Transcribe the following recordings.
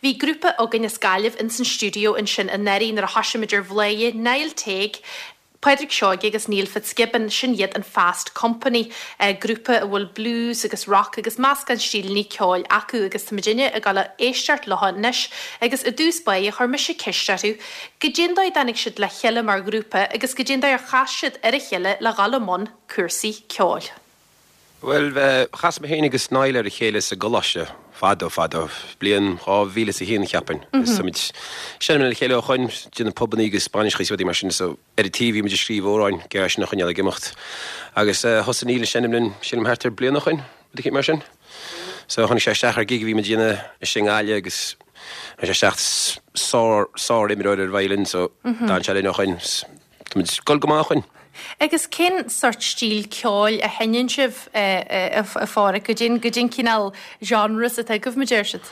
Bhí grúpa againn as Gaillimh ins an stiúideo ansin anuraidh nuair a thoisigh muid ar Bhladhaire, Niall Teague, Pádraig Seoige agus Neil Fitzgibbon, sin iad an Fast Company, grúpa a bhfuil blues agus rock agus meascán stíleanna ceoil acu agus tá muidinne ag dul a éisteacht leo anois agus i dtús báire chuir mise ceist orthu goidé an dóigh a dtáinig siad le chéile mar ghrúpa agus goidé an dóigh ar chas siad ar a chéile le dhul i mbun cúrsaí ceoil. Bhuel, chas mé féin agus Niall ar a chéile sa gcoláiste fadó fadó, bliain 2001 cheapfainn. Is tá muid ag seinm le chéile ó shoin, déanamh pubannaí agus bainiseacha is rudaí mar sin so ar an taobh bhí muid ag scríobh amhráin ag iarraidh sin a choinneáil ag imeacht. Agus thosaigh Niall ag seinm linn, sílim thart ar bliain ó shoin, rud eicínt mar sin. So tháinig sé isteach ar gig a bhí muid a dhéanamh istigh i nGaillimh agus tháinig sé isteach sár, sár imreoir ar violin so d'fhan sé linn ó shoin. Tá muid ag dul go maith ó shoin. Agus cén sort stíl ceoil a sheinneann sibh, a Pháraic? Goidé an cineál genres atá agaibh, mar a deir siad?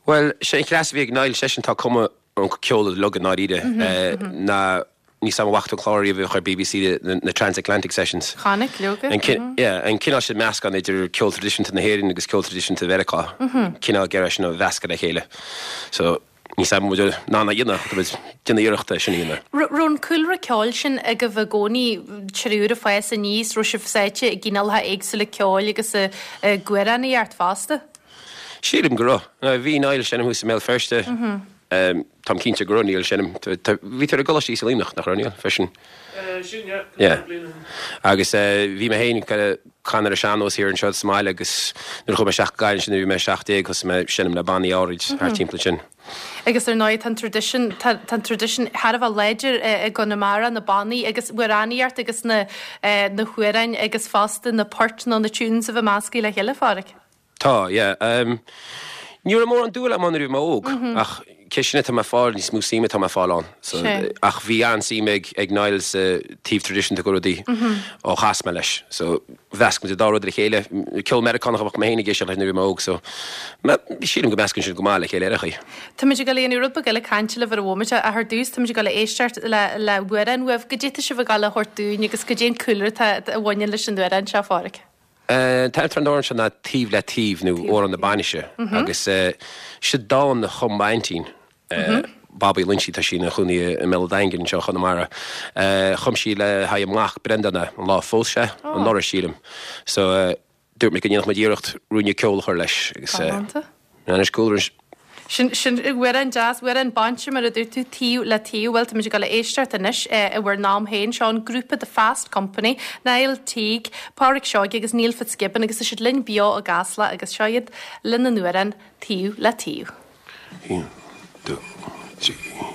Bhuel, sé an chleas a bhí ag Niall, seisean atá ag cumadh an ceol uilig i ndáiríre, ná níl 's a'm an bhfaca tú an clár ariamh a bhíodh ar BBC, na Transatlantic Sessions. Chonaic, leoga. Yeah, an cineál sin meascán idir ceol traidisiúnta na hÉireann agus ceol traidisiúnta Mheiriceá. Cineál ag iarraidh sin a mheascadh le chéile. So. Níl 's a'm an bhfuil muid in ann a dhéanamh, tá muid ag déanamh iarrachta é sin a dhéanamh. Raibh an cúlra ceoil sin agaibh i gcónaí, triúr ag fás aníos, raibh sibh sáite i gcineálacha éagsúla ceoil agus ag amhránaíocht fosta? Sílim go raibh. Bhí Niall ag seinm thuas i mBéal Feirste. Táim cinnte go raibh Niall ag seinm. Bhí tú ar an gColáiste thíos i Luimneach, nach raibh Niall, freisin? Sin, yeah. Yeah. Bliain ó shin. Agus bhí mé féin ag canadh ar an sean-nós thiar anseo sa mbaile agus nuair a chuaigh mé isteach go Gaillimh ansin nuair a bhí mé 17 thosaigh mé ag seinm le bannaí áirid thart timpeall ansin. Agus ar ndóigh tá an traidisiún, tá an traidisiún thar a bheith láidir i gConamara, na bannaí agus amhránaíocht agus na na hamhráin agus fosta na poirt nó na tunes a bheith measctha le chéile, a Pháraic. Tá, yeah. Ní raibh mórán dúil agam ann nuair a bhí mé óg, ach cé sin atá mé ag fáil, níos mó suime atá mé ag fáil ann. So, ach bhí an-suim ag, ag Niall sa taobh traidisiúnta de rudaí ó chas mé leis. So, mheasc muid an dá rud le chéile. Ceol Meiriceánach a bheadh mé féin ag éisteacht leis nuair a bhí mé óg, so sílim go meascann sin go maith le chéile ar aon chaoi. Táimid ag dul a dhéanamh rud beag eile cainte libh ar an bhomaite, ach ar dtús táimid ag dul a éisteacht le, le hamhrán uaibh. Goidé tá sibh ag dul a thabhairt dúinn agus goidé an cúlra atá, a bhaineann leis an amhrán seo, a Pháraic? An t-ainm atá ar an amhrán seo ná Taobh le Taobh nó Amhrán na Bainise agus seo dán a chum m'aintín, Bobby Loinsigh, tá sí ina chónaí i mBéal an Daingin anseo i Chonamara. Chum sí le haghaidh a mac Breandán é, an lá a phós sé, anuraidh sílim. So dúirt muid go ndéanfadh muid iarracht ruainne ceoil a chur leis agus Galánta. Anois cúlra. Sin, sin amhrán deas, amhrán bainise mar a dúirt tú, taobh le taobh. Bhuel, táimid ag dul a éisteacht anois i bhur n-am féin. Seo an grúpa The Fast Company, Niall Teague, Páraic Seoige agus Neil Fitzgibbon agus tá siad linn beo i gCasla agus seo iad lena n-amhrán Taobh le Taobh. 1, 2, 3, 4.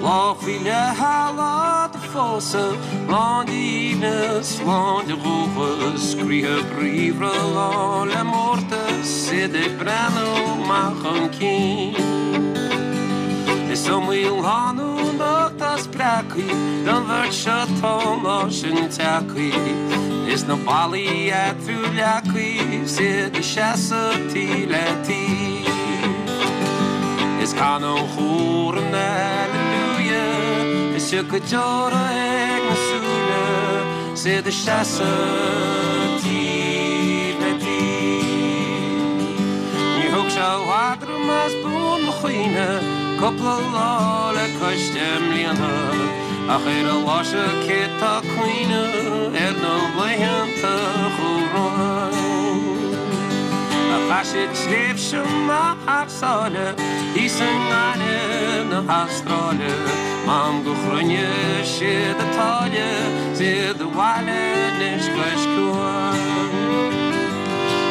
Lá faoi leith an lá do phósadh, lán d'aoibhneas, lán de dhóchas, croíthe bríomhara lán le mórtas, iad ag breathnú amach chun cinn. Is iomaí lánúin bhocht atá spreagtha don bheirt seo tá an lá sin tagtha, is na ballaí eatarthu leagtha 's iad ag seasamh taobh le taobh. Is canann an cór an Alleluia is tiocfaidh deora ag na súile 's iad ag seasamh taobh le taobh. Níor thug sé i bhfad orm as buan mo chuimhne cúpla lá le cois deich mbliana ach ar an lá seo cé tá ag cuimhneamh ar na laethanta a chuaigh romhainn. Chaith siad tréimhse maith thar sáile thíos i nGaillimh na hAstráile, M'anam gur chruinnigh siad an táille 's iad abhaile anois cois cuain.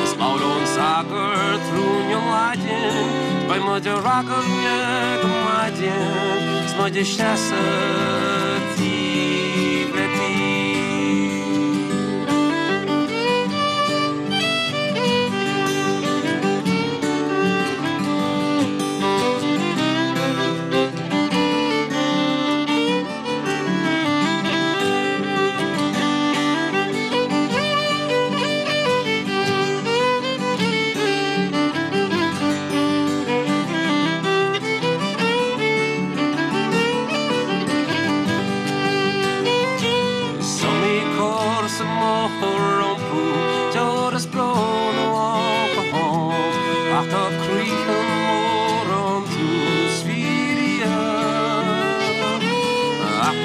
Is labhróidh an sagart rún i Laidin 's beidh muid ar ragairne go maidin 's muid ag seasamh taobh le taobh.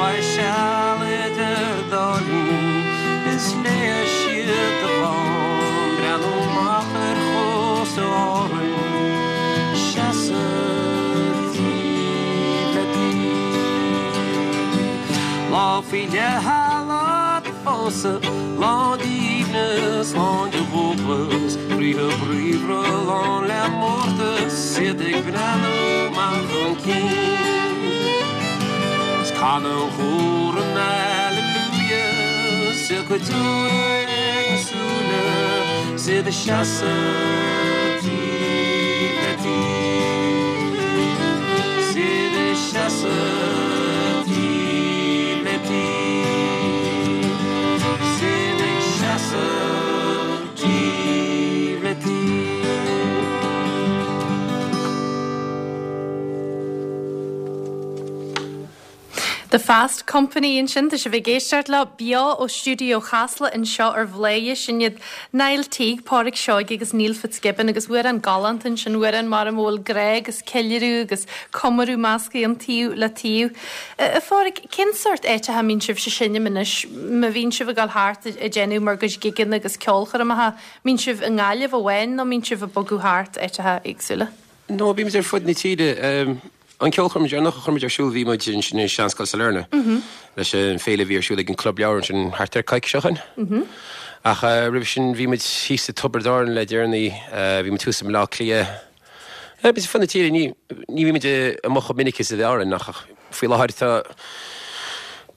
Beidh seal idir dá linn is léifidh siad do dhán, breathnú amach ar chósta Árann, seasamh taobh le taobh. Lá faoi leith, lá do phósadh, lán d'aoibhneas, lán de dhóchas, croíthe bríomhara lán le mórtas, iad ag breathnú amach chun cinn. 'S canadh an chór an Alleluia, 's a gcuid deora ag na súile, 's iad ag seasamh taobh le taobh, 's iad ag seasamh taobh le taobh, 's iad ag seasamh taobh le taobh. The Fast Company ansin, tá sibh ag éisteacht leo beo ó stiúideo Chasla anseo ar Bhladhaire. Sin iad Niall Teague, Pádraic Seoige agus Neil Fitzgibbon agus amhrán galánta ansin, amhrán mar a bhfuil grá agus ceiliúradh agus comóradh measctha ann taobh le taobh. A Phádraic, cén sórt áiteacha a mbíonn sibhse ag seinm anois, má bhíonn sibh ag dul thart ag déanamh bhur gcuid gigeanna agus ceolchoirmeacha, mbíonn sibh i nGaillimh amháin nó mbíonn sibh ag bogadh thart áiteacha éagsúla? No, bímid ar fud na tíre. An ceolchoirm deireanach a chuir muid ar siúl bhí muid ansin i Seanscoil Sailearna leis an féile a bhí ar siúl ag an Club Leabhar ansin thart ar coicís ó shin. Ach roimhe sin bhí muid thíos i Tiobraid Árann le deireanaí, bhí muid thuas i mBleá Cliath. Bímid ar fud na tíre, ní bhímid amuigh chomh minic is a bhí orainn ach faoi láthair tá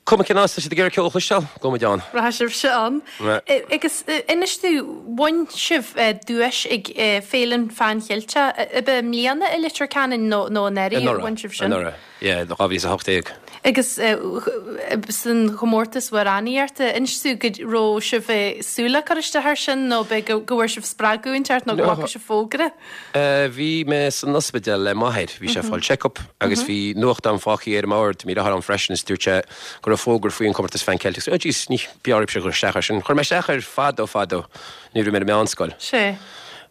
cuma cén áit tá siad ag iarraidh ceol a chloisteáil, gabhfaidh muid ann. Rachaidh sibhse ann. Agus inis domh, bhain sibh duais ag Féile an Pheann Cheilteach, ab ea i mbliana i Leitir Ceanainn nó anuraidh a bhain sibh sin? Anuraidh, yeah, 2018. Agus san chomórtas amhránaíochta, inis domh go raibh sibh ag súil le cur isteach air sin nó ab é go bhfuair sibh spreagadh inteacht nó go bhfaca sibh fógra? Bhí mé san ospidéal le m'athair, bhí sé ag fáil check-up agus bhí nuachtán fágtha ar an mbord, bhí deartháir ann freisin is dúirt sé go raibh fógra faoi an comórtas Pheann Ceilteach. Oh jeez, ní b'fhearr mise a chur isteach air sin. Chuir mé isteach air fadó fadó nuair a bhí mé ar an meánscoil. Sea.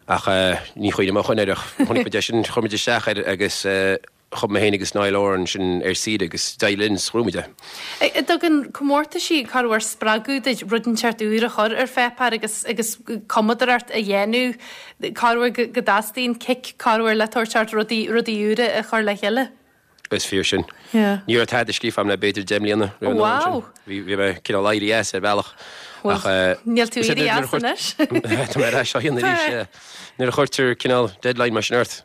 Ach ní chuimhním ó shoin air ach chonaic muid é sin, chuir muid isteach air agus Chuaigh mé féin agus Niall Horan ansin ar saoire agus d'éirigh linn 's ghnóthaigh muid é. An dtugann comórtaisí corruair spreagadh duit rud inteacht úr a chur ar pháipéar agus agus cumadóireacht a dhéanamh, corruair go dteastaíonn cic corruair le tabhairt ort rudaí rudaí úra a chur le chéile? Is fíor sin. Yeah. Ní raibh tada scríofa agam le b'fhéidir 10 mbliana roimh an am sin. Wow! Bhí bhí mé cineál éirithe as ar bhealach ach eh Níl tú éirithe as anois. Tá mé ar ais á dhéanamh arís, yeah. Nuair a chuirtear cineál deadline mar sin ort.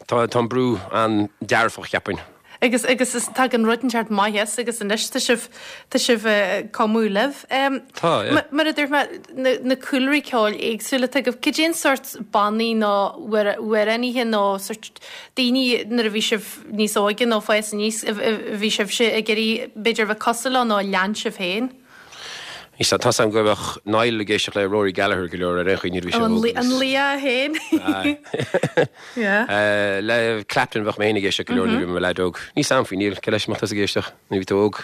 Tá an brú an-dearfach, cheapfainn. Agus, agus is, tagann rud inteacht maith as agus anois tá sibh, tá sibh ag cumadh libh. Tá, yeah. Mar a dúirt mé, na, na cúlraí ceoil éagsúla atá agaibh, cad é an sórt bannaí nó amhránaithe nó sórt daoine nuair a bhí sibh níos óige nó ag fás aníos a bhí sibhse ag iarraidh b'fhéidir a bheith cosúil leo nó a lean sibh féin? Tá 's agam go mbeadh Niall ag éisteacht le Rory Gallagher go leor ar aon chaoi nuair a bhí sé óg agus. An laoch féin. Aye. Le Clapton bheadh mé féin ag éisteacht go leor nuair a bhí mé i mo leaid óg. Níl 's agam faoi Niall, cé leis a mbeadh tusa ag éisteacht nuair a bhí tú óg?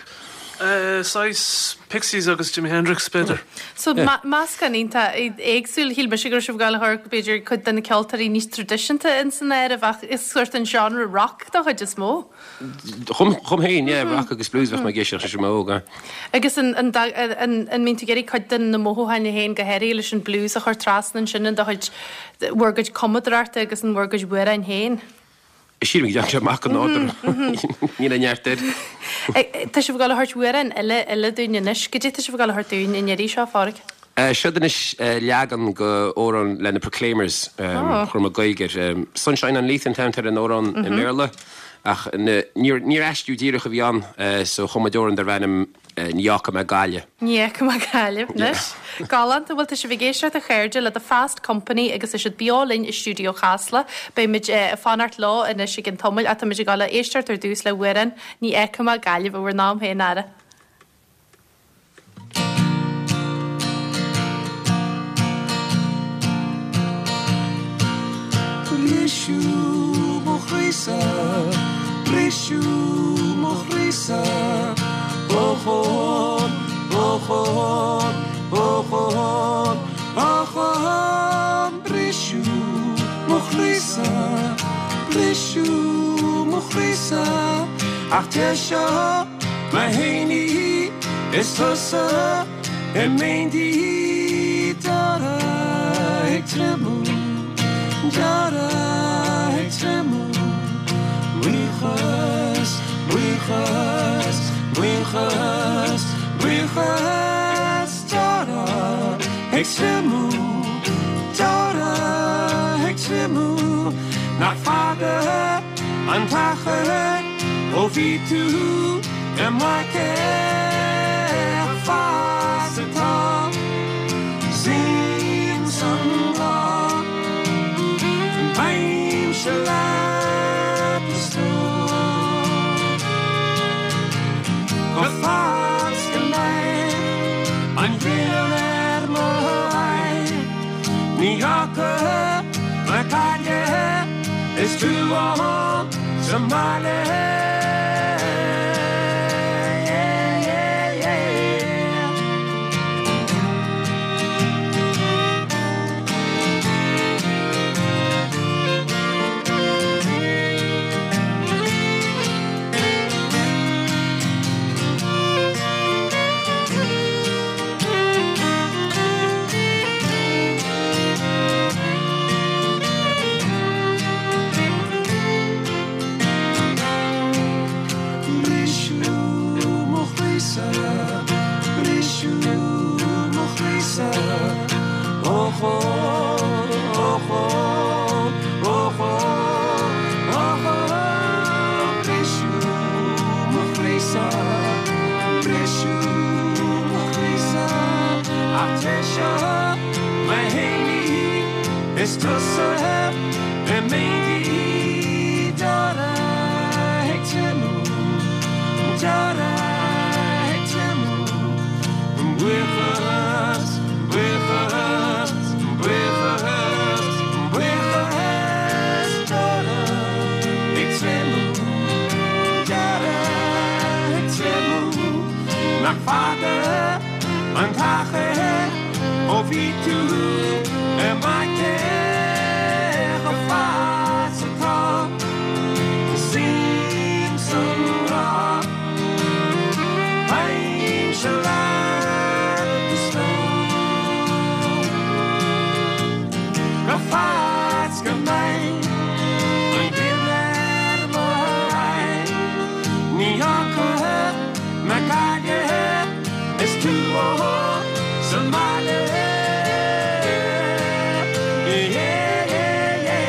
Saghas Pixies agus Jimi Hendrix b'fhéidir. So meascán iontach éagsúil. Shíl mise go raibh sibh ag gabháil a chur b'fhéidir cuid de na ceoltóirí níos traidisiúnta ins an áireamh ach is sórt an genre rock don chuid is mó. Dhom féin, yeah, rock agus blues bheadh mé ag éisteacht leis nuair a bhí mé óg, aye. Agus an mbíonn tú ag iarraidh cuid de na mothúcháin féin, go háirithe leis an blues, a chur trasna ansin in do chuid, bhur gcuid cumadóireachta agus in bhur gcuid amhráin féin? Sílim go dtagann sé amach go nádúrtha. Níl aon neart air. Tá sibh ag dul a thabhairt amhrán eile eile dúinn anois. Goidé tá sibh ag dul a thabhairt dúinn an iarraidh seo, a Phádraig? Seod anois leagan de amhrán le na Proclaimers, chuir mé Gaeilge air. Sunshine on Leith an t-ainm atá ar an amhrán i mBéarla, ach níor aistriú díreach a bhí ann, so chum muid amhrán darbh ainm Ní Fhágfaidh Mé Gaillimh. Ní Fhágfaidh Mé Gaillimh, anois. Galánta. Bhuel, tá sibh ag éisteacht a chairde le The Fast Company agus tá siad beo linn i stiúideo Chasla. Beidh muid ag fanacht leo anois i gcionn tamaill ach tá muid ag dul a éisteacht ar dtús le hamhrán Ní Fhágfaidh Mé Gaillimh i bhur n-am féin, ara. Briseadh mo chroí-sa, briseadh mo chroí-sa, Ochón, ochón, ochón, ochón, Briseadh mo chroí-sa, briseadh mo chroí-sa, ach deir seo. Mo fhéiní is tusa i m'éindí Deora ag triomú, deora ag triomú Buíochas, buíochas, buíochas, buíochas Deora ag triomú, deora ag triomú Nach fada an t-achar ó bhí tú i m'aice Fad is atá suim san lá Beimse leat a stór Go fad is go mbeidh an ghrian ar mo aghaidh Ní fhágfaidh mé Gaillimh is tú ann sa mbaile. Briseadh mo chroí-sa, briseadh mo chroí-sa, Och ó, och ó, och ó, och ó, briseadh mo chroí-sa, briseadh mo chroí-sa, ach tar seo mo fhéiní is tusa i m'éindí deora ag triomú, deora ag triomú, buíochas, buíochas, buíochas, buíochas, deora ag triomú, deora ag triomú, nach fada an t-achar ó bhí tú i m'aice chomh fad is atá suim sa ngrá. Beimse leat a stór Go fad is go mbeidh an ghrian ar mo aghaidh Ní fhágfaidh mé Gaillimh is tú sa mbaile. Yeah, yeah, yeah.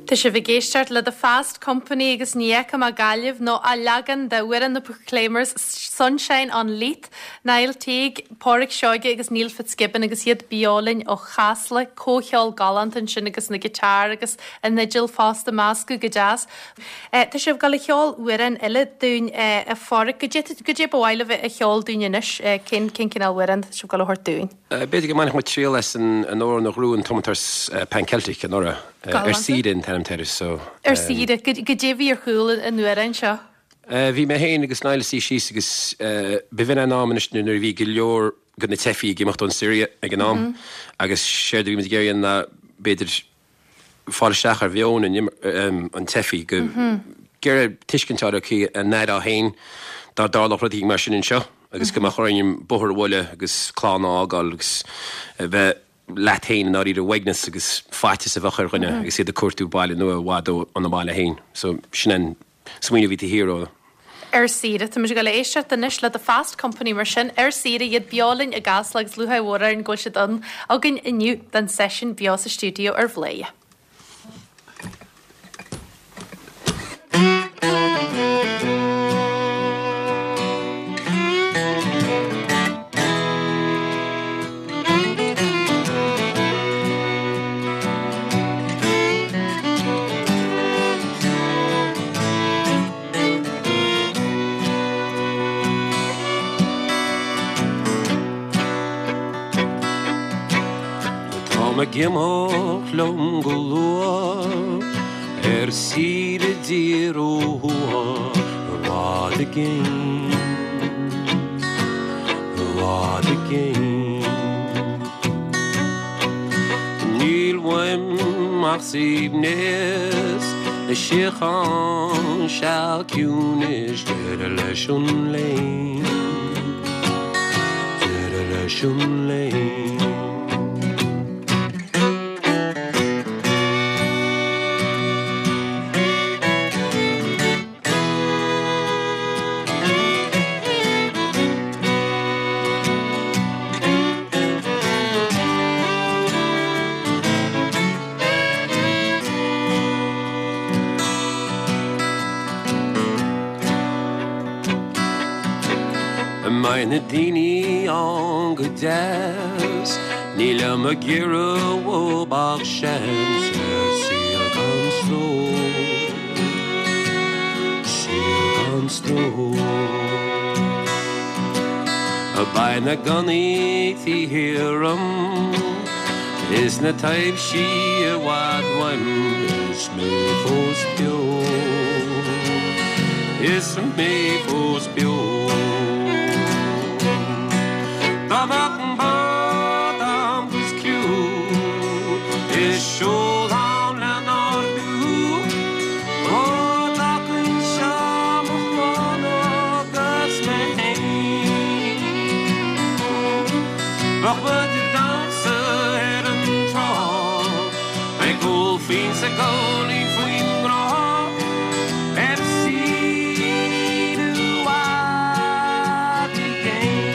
Tá sibh ag éisteacht le The Fast Company agus Ní Fheicim Ach Gaillimh nó a leagan d'amhrán na Proclaimers Sunshine on Leith, Niall Teague, Pádraic Seoige agus Neil Fitzgibbon agus iad beo linn ó Chasla, comhcheol galánta ansin agus na giotáir agus an fhidil fosta measctha go deas. Tá sibh ag dul a cheol amhrán eile dúinn a Phádraic. Goidé ba mhaith libh a cheol dúinn anois? Cén cineál amhráin atá sibh ag dul a thabhairt dúinn? B'fhéidir go mbainfeadh muid triail as an amhrán a ghnóthaigh an tiomantas Pan Celtic anuraidh. Ar Saoire an t-ainm air so. Ar Saoire. Goidé a bhí ar chúl an amhráin seo? Bhí mé féin agus Niall ag suí síos agus b'in an am anois nuair a bhí go leor de na teifigh ag imeacht ón Siria ag an am agus séard a bhí muid ag iarraidh ná b'fhéidir fáil isteach ar mheon an teifigh, go iarraidh tuiscint a fháil ar a n-aireofá féin dá dtarlódh rud éigin mar sin anseo agus go mbeadh orainn an bóthar a bhualadh agus clann a fhágáil agus a bheith leat féin i ndáiríre, uaigneas agus faitíos a bheadh ar dhuine agus iad ag cuartú baile nua i bhfad óna mbaile féin. So sin an smaoineamh a bhí taobh thiar de. Ar saoire. Tá muid ag dul a éisteacht anois le The Fast Company mar sin, ar saoire, iad beo linn i gCasla agus lúcháir mhór orainn go bhfuil siad ann againn inniu don seisiún beo sa stiúideo ar Bhladhaire. Táim ag imeacht liom go luath ar saoire i dtír ó thuaidh i bhfad i gcéin, i bhfad i gcéin. Níl uaim ach suaimhneas is síocháin, seal ciúin is deireadh leis an léim, deireadh leis an léim. Beidh na daoine ann go deas, nílim ag iarraidh uathu ach seans ar saol gan stró, saol gan stró. Beidh na gunnaí taobh thiar dhom is na taibhsí i bhfad uaim is mé fós beo, is mé fós beo. Dá mbeadh an bád a'm 'gus criú is seol ann le n-ardú ó d'fhágfainnse mo chlann agus mé féin. Bheadh muid ag damhsa ar an trá ag ól fíon 's ag góilín faoin ngrá ar saoire i bhfad i gcéin.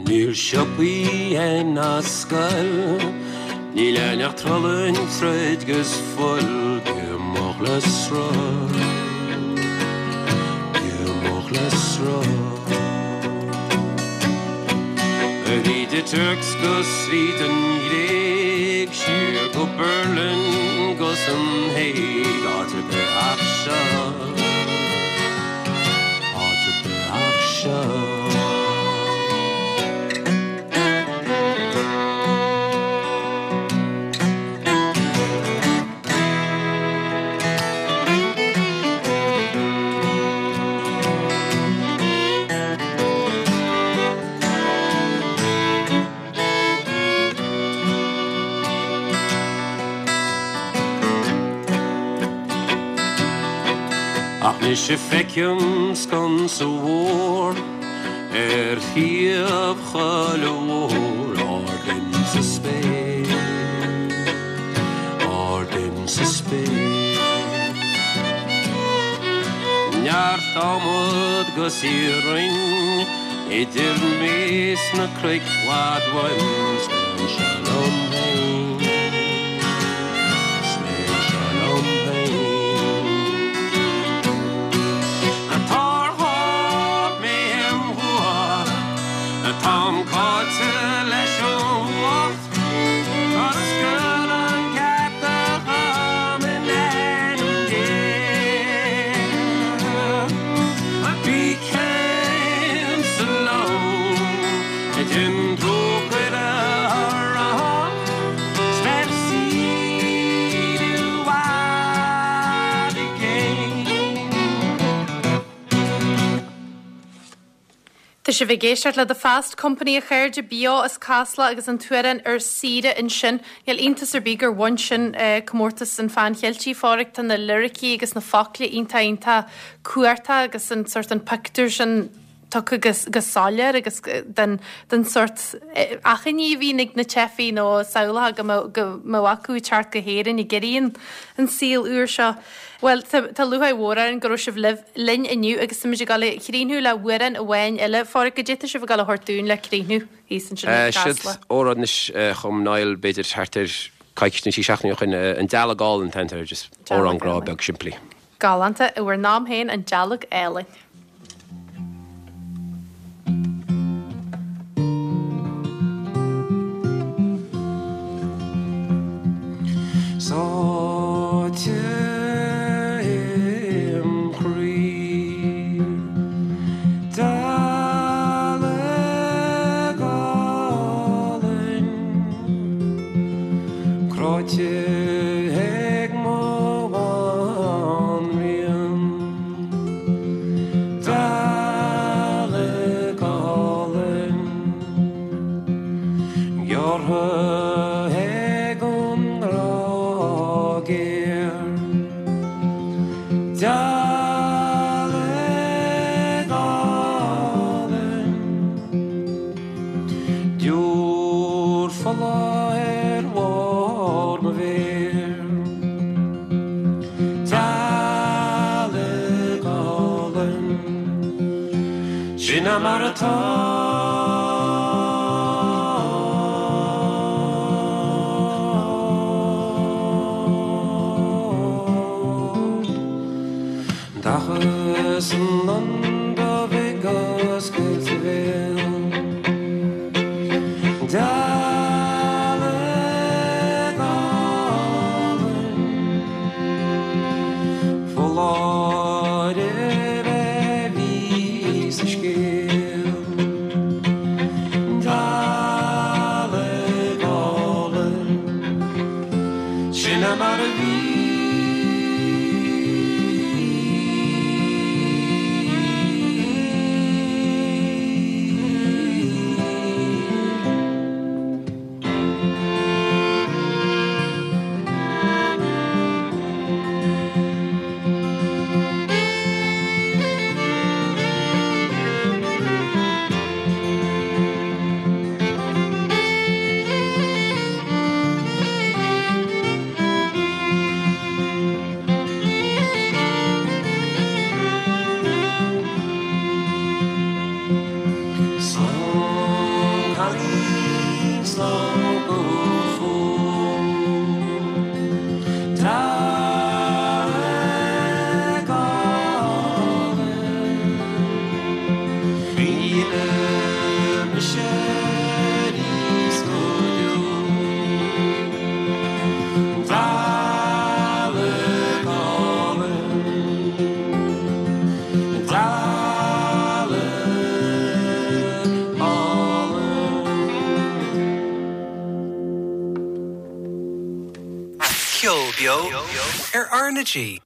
Níl siopaí ná scoil, níl ann ach truailleáin troid 'gus fuil, ag imeacht le sruth, ag imeacht le sruth. Thríd an Tuirc 's gus thríd an Ghréig, siar go Berlin 'gus an Hague, áit ar bith ach seo, áit ar bith ach seo. Ach mise feicim sconsa mhór ar thaobh chuile bhóthar ard insa spéir, ard insa spéir. Neart adhmad 'gus iarainn idir mé 's na cnoic i bhfad uaim 's mé anseo liom féin, 's mé anseo liom féin. Tabharfaidh mé im bhua, táim caillte leis an bhfuacht, oscail an geata dhom in ainm Dé. Bí céim sa lón, déan trócaire orm, 's beir saoire i bhfad i gcéin. Tá sibh ag éisteacht le The Fast Company a chairde, beo as Casla agus an t-amhrán Ar Saoire ansin. Níl iontas ar bith gur bhain sin comórtas an Pheann Cheiltigh, a Pháraic, tá na liricí agus na focla iontach iontach cumhachtach agus an sort an pictiúr sin. tugtha go soiléir agus den den sórt achainí a bhíonn ag na teifigh nó samhlacha go mbeadh go mbeadh acu ag teacht go hÉirinn ag iarraidh an saol úr seo. Bhuel, tá tá lúcháir mhór orainn go raibh sibh libh linn inniu agus táimid ag dul a chríochnú le hamhrán amháin eile. A Pháraic, goidé tá sibh ag dul a thabhairt dúinn le críochnú thíos ansin i Siod gCasla? amhrán anois a chum Niall b'fhéidir thart ar coicís nó trí seachtaine ó shin, An Dealg Álainn an t-ainm air, just amhrán grá beag simplí. Galánta, i bhur n-am féin, An Dealg Álainn. Sáite im chroí, dealg álainn, cráite ag mo bhanríon, dealg álainn, gearrtha ag an ngrá géar, dealg álainn, deoir fola ar bharr mo mhéar. Dealg álainn, sin é mar atá. Dachas an lon dubh ag oscailt a bhéil. Dealg álainn, foláireamh a bhí sa scéal. Dealg álainn, sin é mar a bhí. Slán cailín slán go fóill. Dealg álainn. Ní mise arís go deo. Dealg álainn. Dealg álainn. Ceol beo ar R na G.